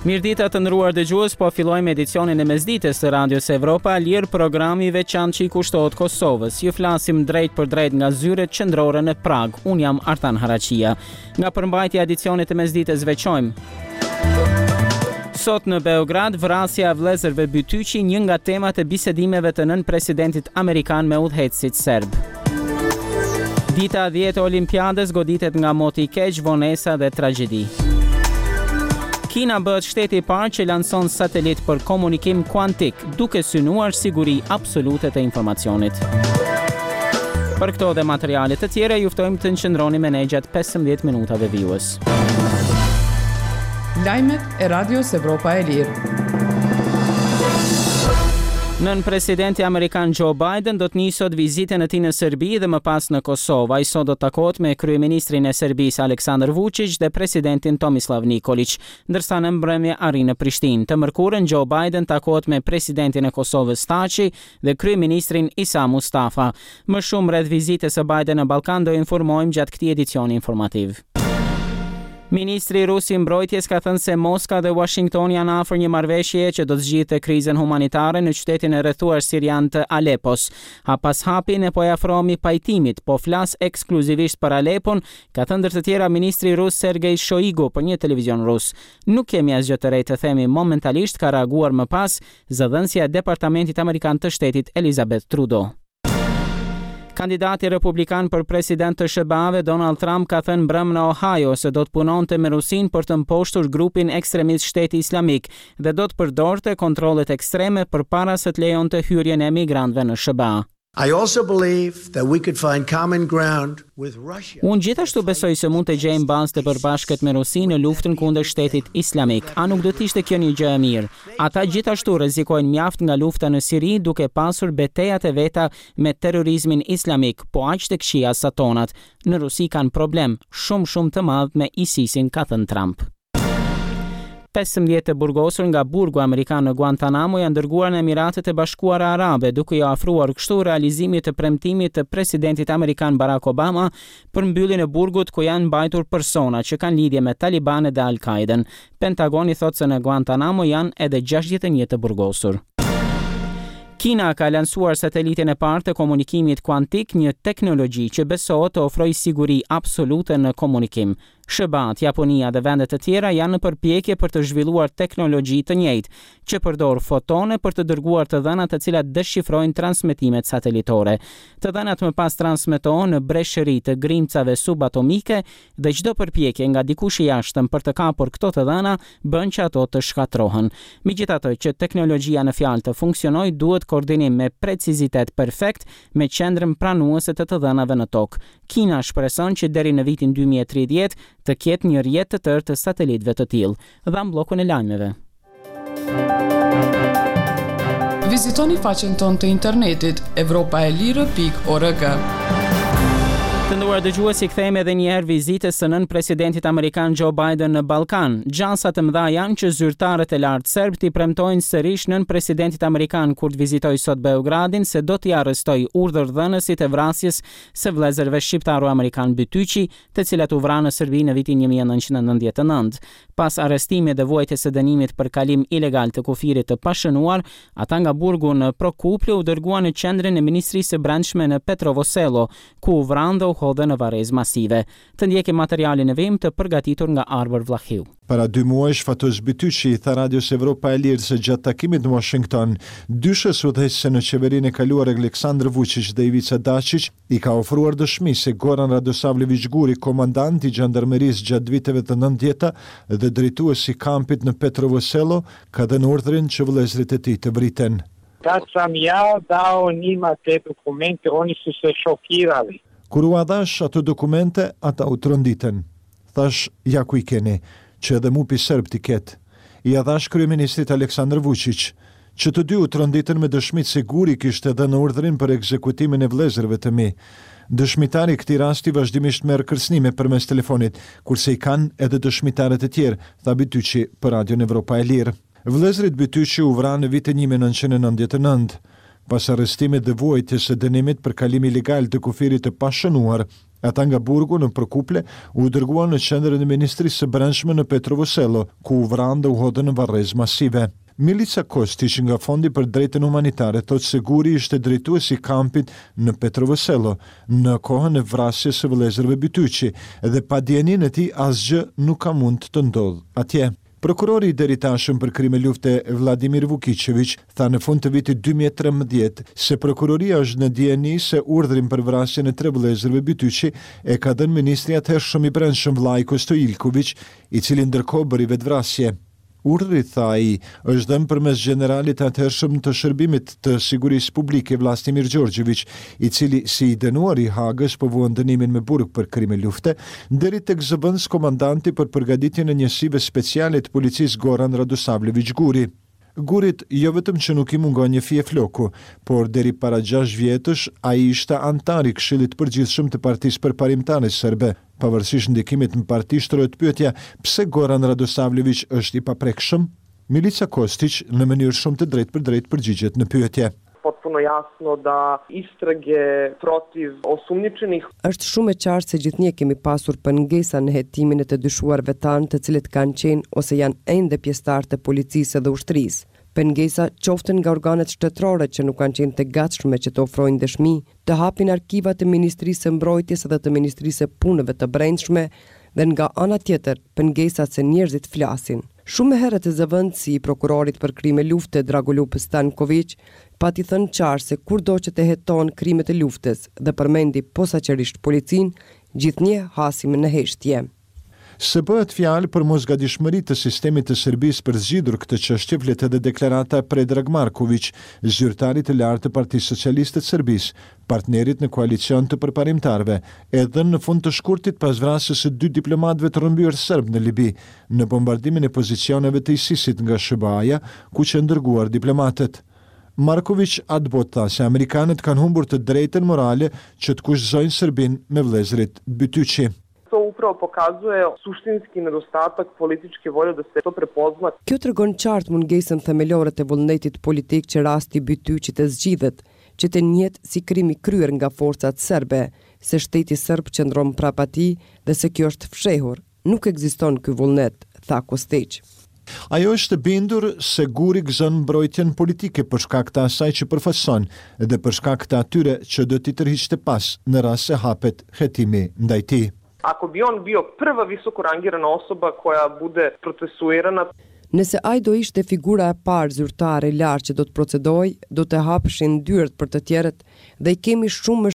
Mirëdita të nderuar dëgjues, po fillojmë edicionin e mesditës të Radios Evropa e Lirë, programi i veçantë që i kushtohet Kosovës. Ju flasim drejtpërdrejt nga zyret qendrore në Pragë. Unë jam Artan Haraqija. Nga përmbajtja e edicionit të mesditës veçojmë Sot në Beograd, vrasja e vëllezërve Bytyqi, një nga temat e bisedimeve të nënpresidentit amerikan me udhëheqësit serbë. Dita e 10 e Olimpiadës goditet nga moti i keq, vonesa dhe tragjedi. Kina bëhet shteti i parë që lanson satelit për komunikim kuantik, duke synuar siguri absolute të informacionit. Për këto dhe materiale të tjera, ju ftojmë të qëndroni me ne gjatë 15 minutave vijues. Lajmet e Radios Evropa e Lirë. Nënpresidenti amerikan Joe Biden do të nisë sot vizitën e tij në Serbi dhe më pas në Kosovë. Ai sot do të takohet me kryeministrin e Serbisë Aleksandar Vuçiq dhe presidentin Tomislav Nikoliq. Ndërsa në mbrëmje arrin në Prishtinë. Të mërkurën, Joe Biden takohet me presidentin e Kosovës Thaçi dhe kryeministrin Isa Mustafa. Më shumë rreth vizitës së Biden në Ballkan do informojmë gjatë këtij edicioni informativ. Ministri rus i Mbrojtjes ka thënë se Moska dhe Uashingtoni janë afër një marrëveshjeje që do të zgjidhte krizën humanitare në qytetin e rrethuar sirian të Alepos. Hap pas hapi ne po i afrohemi pajtimit, po flas ekskluzivisht për Alepon, Ka thënë ndër të tjera ministri rus Sergei Shoigu për një televizion rus. Nuk kemi asgjë të re të themi momentalisht, ka reaguar më pas zëdhënësja e Departamentit Amerikan të Shtetit Elizabeth Trudeau. Kandidati republikan për president të SHBA-ve, Donald Trump ka thënë mbrëmë në Ohio se do të punonte me Rusinë për të mposhtur grupin ekstremist Shteti Islamik dhe do të përdorte kontrollet ekstreme përpara se të lejonte hyrjen e emigrantëve në SHBA. I also believe that we could find common ground with Russia. Unë gjithashtu besoj se mund të gjejmë bazë të përbashkët me Rusinë në luftën kundër Shtetit Islamik. A nuk do të ishte kjo një gjë e mirë? Ata gjithashtu rrezikojnë mjaft nga lufta në Siri duke pasur betejat e veta me terrorizmin islamik, po aq të këqija sa tonat. Në Rusi kanë problem, shumë shumë të madh me ISIS-in, ka thënë Trump. 15 të burgosur nga burgu amerikan në Guantanamo janë dërguar në Emiratet e Bashkuara Arabe, duke iu afruar kështu realizimit të premtimit të presidentit amerikan Barack Obama për mbylljen e burgut ku janë mbajtur persona që kanë lidhje me talibanët dhe Al-Qaidën. Pentagoni thotë se në Guantanamo janë edhe 61 të burgosur. Kina ka lansuar satelitin e parë të komunikimit kuantik, një teknologji që besohet të ofrojë siguri absolute në komunikim. SHBA-të, Japonia dhe vende të tjera janë në përpjekje për të zhvilluar teknologji të njëjtë, që përdor fotone për të dërguar të dhëna të cilat deshifrojnë transmetimet satelitore. Të dhënat më pas transmetohen në breshëri të grimcave subatomike dhe çdo përpjekje nga dikush i jashtëm për të kapur këto të dhëna bën që ato të shkatërrohen. Megjithatë, që teknologjia në fjalë të funksionojë duhet koordinim me precizitet perfekt me qendrën pranuese të të dhënave në Tokë. Kina shpreson që deri në vitin 2030 të ketë një rrjet të tërë të satelitëve të tillë. Dhamë bllokun e lajmeve. Vizitoni faqen tonë të internetit evropaelire.org. Të nderuar dëgjues, i kthehemi edhe një herë vizitës së nënpresidentit amerikan Joe Biden në Ballkan. Gjasa të mëdha janë që zyrtarët e lartë serbë t'i premtojnë sërish nënpresidentit amerikan kur të vizitojë sot Beogradin se do t'i arrestojë urdhërdhënësit e vrasjes së vëllezërve shqiptaro-amerikanë Bytyqi, të cilat u vranë në Serbi në vitin 1999. Pas arrestimit dhe vuajtjes së dënimit për kalim ilegal të kufirit të pashënuar, ata nga burgu në Prokuplje u dërguan në qendrën e Ministrisë së Brendshme në Petrovo Selo, ku u vranë dhe u hodhën në varrezë masive. Të ndjekim materialin në vijim të përgatitur nga Arbër Vllahiu. Para dy muajsh, Fatos Bytyqi i tha Radios Evropa e Lirë se gjatë takimit në Uashington, dyshes udhëheqëse në qeverinë e kaluar Aleksandër Vuçiq dhe Ivica Daçiq i ka ofruar dëshmi se Goran Radosavleviq Guri, komandant i xhandarmerisë gjatë viteve të nëntëdhjeta dhe drejtues i kampit në Petrovo Selo, ka dhënë urdhrin që vëllezërit e tij të vriten. Kad sam ja dao njima te dokumente, oni su se šokirali. Kur ua dhashë ato dokumente, ata u tronditën. Thashë, ja ku i keni, që edhe MUP-i serb t'i ketë. Ia dhashë kryeministrit Aleksandër Vuçiq. Që të dy u tronditën me dëshmitë se Guri kishte dhënë urdhrin për ekzekutimin e vëllezërve të mi. Dëshmitari i këtij rasti vazhdimisht merr kërcënime përmes telefonit, kurse i kanë edhe dëshmitarët e tjerë, tha Bytyqi për Radion Evropa e Lirë. Vëllezërit Bytyqi u vranë në vitin 1999. Pas arrestimit dhe vuajtjes së dënimit për kalim ilegal të kufirit të pashënuar, ata nga burgu në Prokuplje u dërguan në qendrën e Ministrisë së Brendshme në Petrovo Selo, ku u vranë dhe u hodhën në varrezë masive. Milica Kostiq nga Fondi për Drejtën Humanitare thotë se Guri ishte drejtues i kampit në Petrovo Selo në kohën e vrasjes së vëllezërve Bytyqi dhe pa dijeninë e tij asgjë nuk ka mund të ndodhë atje. Prokurori i deritashëm për krime lufte Vladimir Vukiçeviq tha në fund të vitit 2013 se prokuroria është në dijeni se urdhrin për vrasjen e tre vëllezërve Bytyqi e ka dhënë ministri i atëhershëm i Brendshëm Vlajko Stojilkoviq, i cili ndërkohë bëri vetëvrasje. Urdhri, tha ai, është dhënë përmes gjeneralit të atëhershëm të Shërbimit të Sigurisë Publike Vlastimir Gjorgjeviq, i cili si i dënuar i Hagës po vuan dënimin me burg për krime lufte, deri tek zëvendëskomandanti për përgatitjen e njësive speciale të policisë Goran Radosavljeviq Guri. Gurit jo vetëm që nuk i mungon një fije floku, por deri para gjashtë vjetësh ai ishte anëtar i Këshillit të Përgjithshëm të Partisë Përparimtare Serbe. Pavarësisht ndikimit në parti shtrohet pyetja pse Goran Radosavljeviq është i paprekshëm? Milica Kostiq në mënyrë shumë të drejtpërdrejtë përgjigjet në pyetje. Potpuno jasno da istrage protiv osumnjičenih Është shumë e qartë se gjithnjë kemi pasur pengesa në hetimin e të dyshuarve tanë të cilët kanë qenë ose janë ende pjesëtarë të policisë dhe ushtrisë. Pengesa qoftë nga organet shtetërore që nuk kanë qenë të gatshme që të ofrojnë dëshmi, të hapin arkivat e Ministrisë së Mbrojtjes dhe të Ministrisë së Punëve të Brendshme dhe nga ana tjetër pengesat se njerëzit flasin. Shumë herët zëvendësi i prokurorit për krime lufte Dragoljub Stankoviq pati thënë qartë se kurdo që të hetohen krimet e luftës dhe përmendi posaçërisht policinë, gjithnjë hasim në heshtje. Se bëhet fjalë për mosgatishmëri të sistemit të Serbisë për zgjidhur këtë çështje flet edhe deklarata e Predrag Markoviq, zyrtarit të lartë të Partisë Socialiste të Serbisë, partnerit në koalicion të përparimtarëve, e dhënë në fund të shkurtit pas vrasjes së dy diplomatëve të rrëmbyer serbë në Libi, në bombardimin e pozicioneve të ISIS-it nga SHBA-ja, ku qenë dërguar diplomatët. Markoviq atëbotë tha se amerikanët kanë humbur të drejtën morale që të kushtëzojnë Serbinë me vëllezërit Bytyqi. To upravo pokazuje suštinski nedostatak političke volje da se to prepozna. Kjo tregon qartë mungesën themelore të vullnetit politik që rasti Bytyqi të zgjidhet, që të njihet si krim i kryer nga forcat serbe, se shteti serb qëndron prapa tij dhe se kjo është fshehur. Nuk ekziston ky vullnet, tha Kostiq. Ajo është e bindur se Guri gëzon mbrojtjen politike për shkak të asaj që përfaqëson dhe për shkak të atyre që do t'i tërhiqte pas në rast se hapet hetimi ndaj tij. Ako bi on bio prva visoko rangirana osoba koja bude procesuirana, Nëse ai do ishte figura e parë zyrtare e lartë që do të procedohej, do të hapeshin dyert për të tjerët dhe i kemi shumë më.